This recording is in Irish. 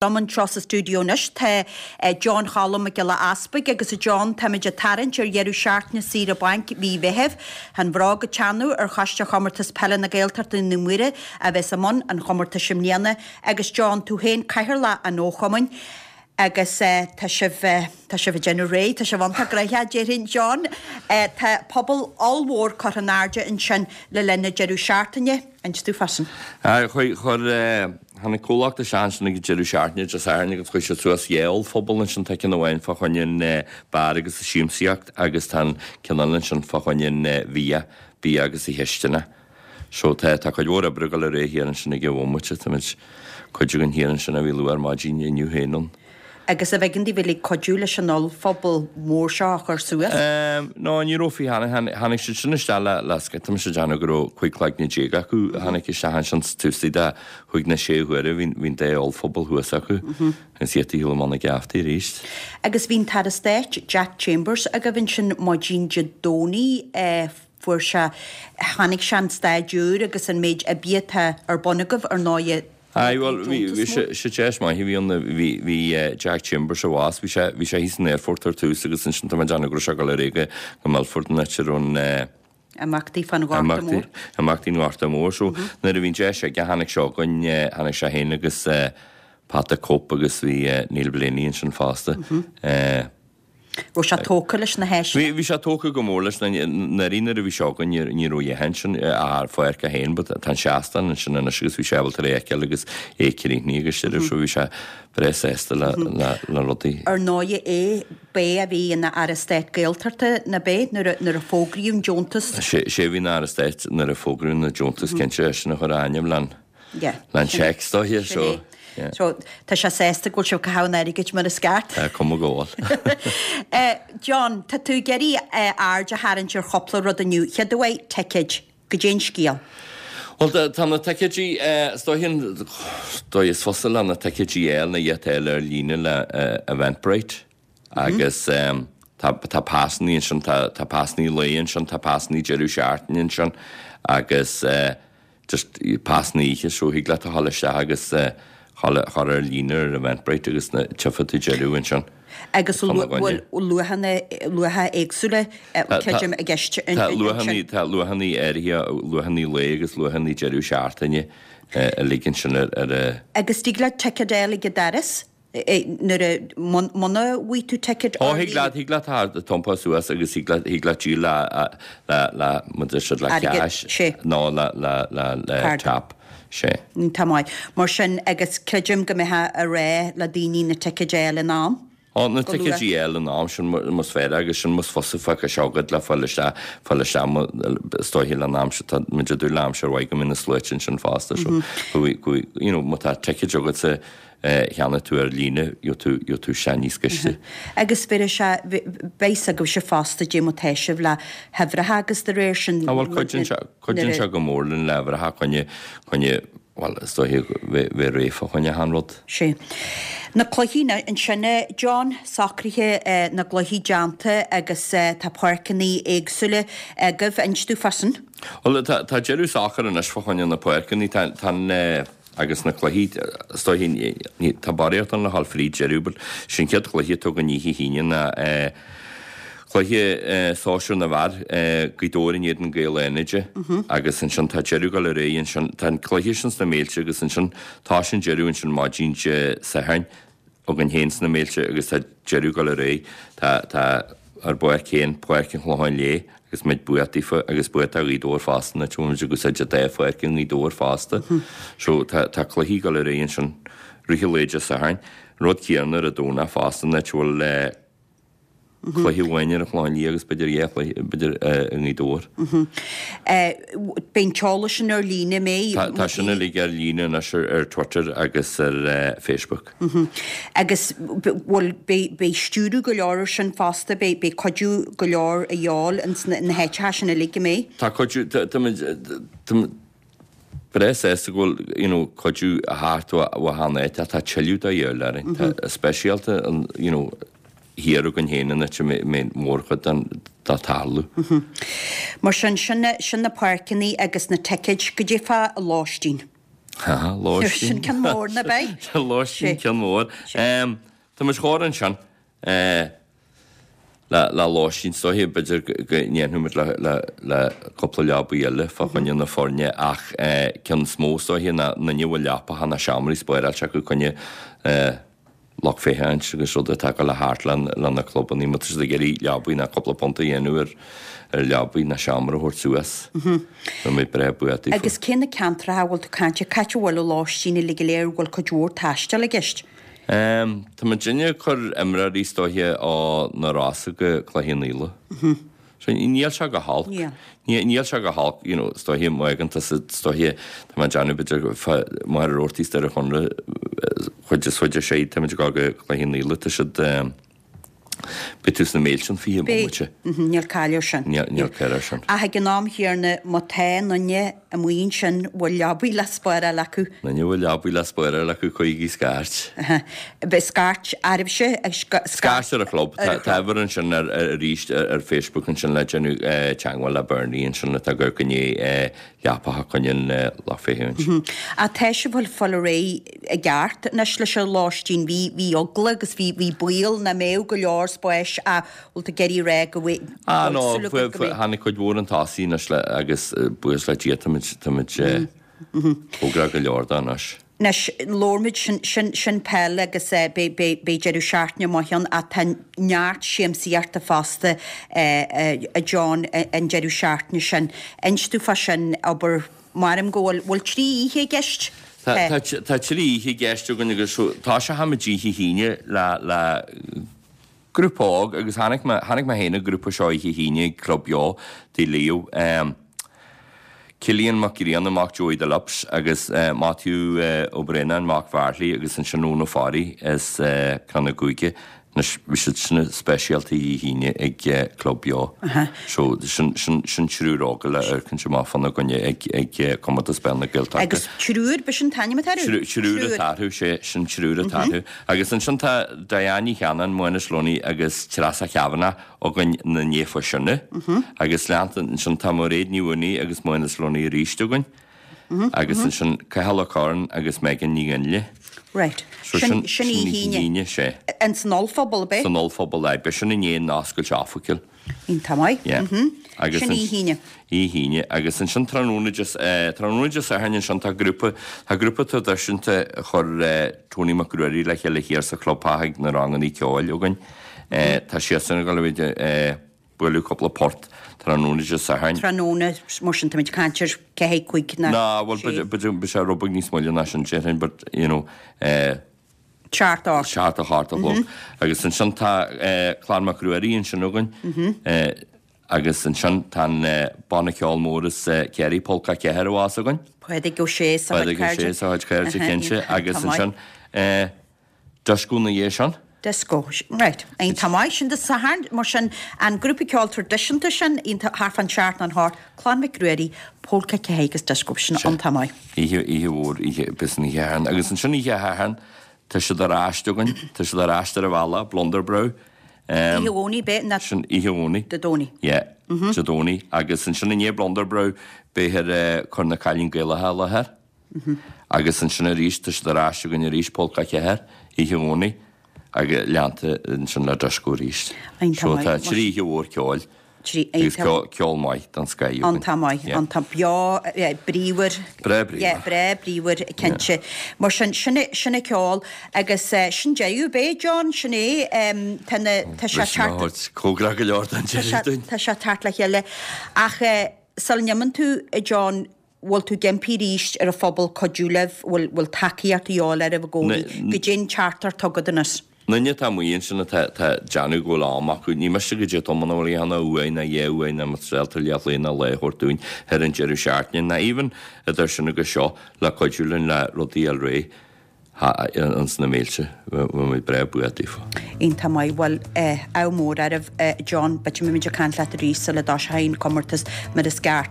Liom anseo sa stiúideo anois tá John Choilm Mac Giolla Easpaig agus a John, táimid ag tarraingt ar dheireadh seachtaine saoire bainc mhí Mheithimh. Tá an bhróg ag teannadh ar Choiste Chomórtas Peile na Gaeltachta i nDún Mhuire a bheas i mbun an chomórtais i mbliana agus John, tú féin Cathaoirleach an Fhochumainn agus tá sibh, tá sibh ag déanamh réidh, tá sibh iontach gnoitheach déarfainn John. Tá puball ollmhór curtha in airde ansin le linn an deireadh seachtaine. Inis dúinn fá sin. Chuir, chuir, tháinig comhlacht isteach ansin ag an deireadh seachtaine Dé Sathairn agus chuir siad suas dhá ollphuball ansin, tá ceann amháin fá choinne an beár agus an siamsaíocht agus tá an ceann eile ansin fá choinne an bhia, bia agus an chisteanach. So tá, tá cuid mhór oibre ag dul ar aghaidh thiar ansin ag an bhomaite, táimid, cuid againn thiar ansin a bhí luath ar maidin inniu féin ann. Agus arbh éigean daoibh uilig cuidiú leis an ollphuball mór seo a chur suas? No, ní raibh faoi tháinig, tháinig siad sin isteach le, le, tá mise ag déanamh go raibh 15 cloigne acu a tháinig isteach ansin taobh istigh de chúig nó sé huaire, bhí, bhí an dá ollphuball thuas acu agus iad ag shiúl amach na geaftaí arís. Agus bhí an tAire Stáit, Jack Chambers, agaibh ansin maidin Dé Domhnaigh, fuair sé, chonaic sé an staid úr agus an méid oibre atá ar bun agaibh, ar ndóighe. Aye, bhuel, bhí, bhí sé, sé deis maith a bhí ann, bhí, bhí Jack Chambers abhus, bhí sé, bhí sé thíos san aerfort ar tús agus ansin tá mé ag déanamh go raibh sé ag dul ar aghaidh go, go Milford an áit a raibh an eh, Imeachtaí fán Ghorta Mór. Imeachtaí an Ghorta Mhóir. So, nuair a bhí an deis aige, tháinig sé chugainn, tháinig sé féin agus eh, Pat the Cope agus bhí eh, Neil Blaney ansin fosta. Eh, Raibh sé tógtha leis na háiseanna? Bhí sé tógtha go mór leis. Anuraidh nuair a bhí sé againn ní raibh a dhath ansin ach an pháirc é féin but tá an seastán ansin anois agus bhí sé ábalta é a fheiceáil agus é críochnaithe agus sin so bhí sé breá sásta le le rudaí. Ar ndóighe é b'é a bhí ina Aire Stáit Gaeltachta ná b'é nuair a fógraíodh an deontas? Sé a bhí ina Aire Stáit nuair a fógraíodh an deontas cinnte eisean a chuir a ainm le'n Yeah. Le'n cheque is dóiche, so, yeah. So, tá sé sásta go bhfuil sibh ag caitheamh an airgid mar is ceart. Tá cuma go bhfuil. John, tá tú ag iarraidh aird a tharraingt ar chúpla rud inniu. Chéad uair, ticéid. Goidé an scéal? Bhuel, tá na ticéidí, is dóiche an dóigh is fusa le na ticéidí a fháil ná iad a fháil ar líne le Eventbrite agus tá tá pasannaí ansin, tá tá pasannaí lae ansin, tá pasannaí deireadh seachtaine ansin agus just pasanna oíche so thig leat a dhul isteach agus a chur ar líne ar Eventbrite agus na tchífidh tú deireadh ansin. Agus bhfuil luachanna, luacha éagsúla creidim i gceist ansin? Tá luachanna, tá luachanna áirithe, luachanna lae agus luachanna deireadh seachtaine uilig ansin ar a. Agus dtig leat ticéad a fháil ag an doras? Nuair a, muna bhfaighidh tú ticéad Ó, thig leat, thig leat a iompar suas agus thig leat, thig leat díol le, le, le, mar deir siad, le cash nó le, le, le, le tap, sé. Tá maith. Mar sin, agus creidim go mbeifeá ag rá le daoine na ticéid a fháil in am. Ó, na ticéid a fháil in am, sin más féidir agus sin más fusa fágtha seo agat le fáil isteach, fáil isteach, is dóiche le an aimsir, tá muid ag dúil le aimsir mhaith go mbeidh na sluaite ansin fosta, so, go, you know, má tá ticéid agatsa, cheannaigh tú ar líne, gheobhaidh tú, gheobhaidh tú isteach níos gaiste. Agus bheir sé, beidh 's agaibhse fosta dé mar tá sibh le huimhreacha agus de réir sin. Á bhuel cuidíonn sé, cuidíonn sé go mór linn le huimhreacha coinne, coinne, bhuel is dóiche bheith, bheith réidh fá choinne achan rud. Sé. Na cluichí ansin a John, socruithe na gcluichí déanta agus tá páirceanna éagsúla agaibh, inis dúinn fá sin. Bhuel tá, tá deireadh socair anois fá choinne na páirceanna, tá, tá an, Agus na cluichí, is dóiche, tá barraíocht ann le dhul fríd deireadh, but sin chéad chluiche atá againn oíche hAoine ná cluiche sóisear na bhfear, Gaoth Dobhair in éadan Gaeil Fhánaide agus ansin tá deireadh ag dul ar aghaidh ansin, tá an cluiche sin sna Méilte agus ansin tá sin deireadh ansin maidin Dé Sathairn. againn féin sna Méilte agus tá deireadh ag dul ar aghaidh. Tá, tá ár bpáirc féin, Páirc an Chlocháin Léith, agus muid buíoch daofa agus buíoch do Ghaoth Dobhair fosta, an áit a bhfuil muid ag úsáid an dá pháirc i nGaoth Dobhair fosta. So tá, tá cluichí ag dul ar aghaidh ansin rith an lae Dé Sathairn. An rud céanna ar an Domhnach fosta, an áit a bhfuil eh, Cluiche amháin ar an Chlochán Liath agus b'fhéidir dhá chluiche, b'fhéidir, i nGaoth Dobhair. Beidh an t-eolas sin ar líne, an mbeidh? Tá, tá sin uilig ar líne anois ar, ar Twitter agus ar Facebook. Agus bhfuil, beidh, beidh stiúradh go leor ar sin fosta, beidh, beidh cuidiú go leor a dhíobháil ins na, na háiteacha sin uilig, an mbeidh? Tá cuidiú, tá, táimid, táimid breá sásta go bhfuil, you know, cuidiú a theacht ó, ó achan áit ach tá tuilleadh de dhíobháil orainn. Tá, speisialta an, you know, thiar againn féin an áit a mbeidh mórchuid den dá tarlú. Mar sin, sin, sin na páirceanna agus na ticéid, goidé fá lóistín. Ha, lóistín. Sin ceann mór ná beidh? Lóistín ceann mór. Tá muid chóir ansin le lóistín is dóiche, b'fhéidir go ndéanfaidh muid le cúpla leabaí eile fá choinne na foirne ach ceann is mó is dóiche ná aon duine a bhfuil leapacha ná seomraí spáráilte acu coinne lucht féachaint agus rud atá ag dul thart le na clubannaí, má tá siad ag iarraidh leabaí ná cúpla punt a dhéanamh ar ar leabaí ná seomra a thabhairt suas. Bheadh muid breá buíoch daofa. Agus cé na ceantracha a bhfuil tú ag caint air? Cá háit a bhfuil an lóistín uilig go léir, an bhfuil cuid mhór taistil i gceist? Tá muidinne ag cur imreoirí is dóiche ó na Rosa go Cloich Cheann Fhaola. So níl sé go holc. Níl. Níl sé go holc, you know, is dóiche má fhaigheann tusa, is dóiche, tá mé ag déanamh b'fhéidir fá Machaire Rabhartaigh is Doire Chonaire, chuid is chuid ar sé, tá muid ag dul go Cloich Cheann Fhaola, tá siad, beidh tú sna mílte an 20 Beidh. bomaite. Níl caill air sin. Níl, níl caill air sin. Ach ag an am chéanna, má tá aon duine amuigh ansin a bhfuil leabaí le spáráil acu. Aon duine a bhfuil leabaí le spáráil acu cuirigí scairt. Beidh scairt oraibhse ag scairt ar an chlub. Tá uimhir ansin arís ar Facebook ansin le déanamh teagmháil le Bernie ansin atá ag amharc i ndiaidh leapacha coinne an lucht féachaint. Ach tá sibh ag fáil ar aghaidh i gceart anois leis an lóistín. Bhí bhí eagla agus bhí bhí baol nach mbeadh go leor spáis ach bhfuil tú ag iarraidh a rá go bhfuil Ah no, súil agat go mbeidh. tháinig cuid mhór chun tosaigh anois le agus buíochas le Dia táimid táimid cóngarach go leor dó anois. Anois, labhair muid, sin, sin, sin peil agus beidh, beidh, beidh deireadh seachtaine maith ann ach tá neart siamsaíochta fosta a John an deireadh seachtaine sin. Inis domh fá sin, abair, maram go bhfuil, bhfuil 3 oíche i gceist? Tá, tá, tá 3 oíche i gceist againn agus toiseochaimid oíche hAoine le, le grúpa óg agus tháinig mé, tháinig mé féin an grúpa seo oíche hAoine ag Club Beo Tigh Leo. Cillian Mac Grianna, mac Joey the Lips agus Matthew Ó Braonáin, mac Bheartlaí agus ansin Eoin Ó Fearraigh as Crann na gCúige. Anois bhí siad sin speisialta oíche hAoine ag Club Beo. So sin, sin, sin triúr óga le amharcaint amach fána gcoinne ag, ag Comórtas Peile na Gaeltachta. Agus triúr, b'shin an t-ainm atá orthu? Triúr atá orthu, sé, sin triúr atá orthu. Agus ansin tá Diane Ní Cheannáin, Mánas Lunny agus Treasa Kavanagh againn ina ndiaidh fá sinne. Agus leanta ansin tá Mairéad Ní Mhaonaigh agus Mánas Lunny arís againn. Agus ansin Cathal Ó Curráin agus Megan Ní Ghinle. Right. So Sin sin sin oíche oíche hAoine. hAoine, sé. In san ollphuball, ab é? San ollphuball, aye. Beidh sin i ndiaidh an oscailt oifigiúil. Iontach maith. Yeah. Agus Sin oíche hAoine. Oíche hAoine. Agus ansin tráthnóna Dé, tráthnóna Dé Sathairn ansin tá grúpa, tá grúpa traidisiúnta a chuir Tony Mac Ruairí le chéile thiar sa chlubtheach ag na rangannaí ceoil againn. Tá siadsan ag dul a bheith ag bualadh cúpla port tráthnóna Dé Sathairn. Tráthnóna, mar sin táimid ag caint ar 4, 5 ná Ná, bhuel, 6. b'fhéidir, beidh sé rud beag níos moille ná sin déarfainn, but, you know, 7, 8. 7, 8 a chlog. Agus ansin tá Clann Mac Ruairí ansin againn agus ansin tá an banna ceoil mór as Ciarraí, Pólca 4 a bheas againn. Pádraig Ó Sé is a chuid Pádraig Ó Sé cairde. is a chuid cairde, cinnte. Agus ansin Disco ina dhiaidh sin. Disco, right. Iontach maith. Sin Dé Sathairn, mar sin, an grúpa ceoil traidisiúnta sin, iontach, thart fán seacht nó an hocht, Clann Mhic Ruairí, Pólca 4 agus Disco, sin iontach maith. Oíche, oíche mhór, oíche, b'shin oíche Shathairn. Agus ansin oíche Shathairn, tá siad ar ais againn, tá siad ar ais ar an bhealach, Blunderbrow. Oíche Dhomhnaigh, b'é? Ná. Sin oíche Dhomhnaigh. Dé Domhnaigh. Yeah, Dé Domhnaigh. Agus ansin i ndiaidh Blunderbrow, beifear ag cur na Cailín Gaelacha i láthair. Agus ansin arís, tá siad ar ais againn arís, Pólca 4, oíche Dhomhnaigh, agus leanta ansin le Disco arís. Iontach So maith. tá 3 oíche mhór ceoil agus ceol maith den scoth againn. Iontach maith, iontach beo, bríomhar. Breá bríomhar. Yeah, breá bríomhar, cinnte. Mar sin, sin é, sin é ceol agus sin deireadh, ab é, John, sin é, tá na, tá sé thart. Cóngarach go leor don deireadh dúinn. Tá sé thart le chéile. Ach sula n-imíonn tú, a John, bhfuil tú ag impí arís ar an phobal cuidiú libh, bhfuil, bhfuil tacaíocht a dhíobháil oraibh i gcónaí, goidé an teachtaireacht atá agat anois. Na daoine atá amuigh ansin atá, atá ag déanamh go bhfuil am acu, ní miste goidé tamall ná bhfuil a dhéanamh uair ná dhá uair ná más ábalta leathlae ná lá a thabhairt dúinn ar an deireadh seachtaine, ná even idir sin agus seo le cuidiú linn le rudaí a fháil réidh ins na mílte, bheadh muid breá buíoch daofa. Iontach maith, bhuel, ádh mór oraibh, John, b'fhéidir go mbeimid ag caint leat arís sula dtoiseoidh an comórtas mar is ceart.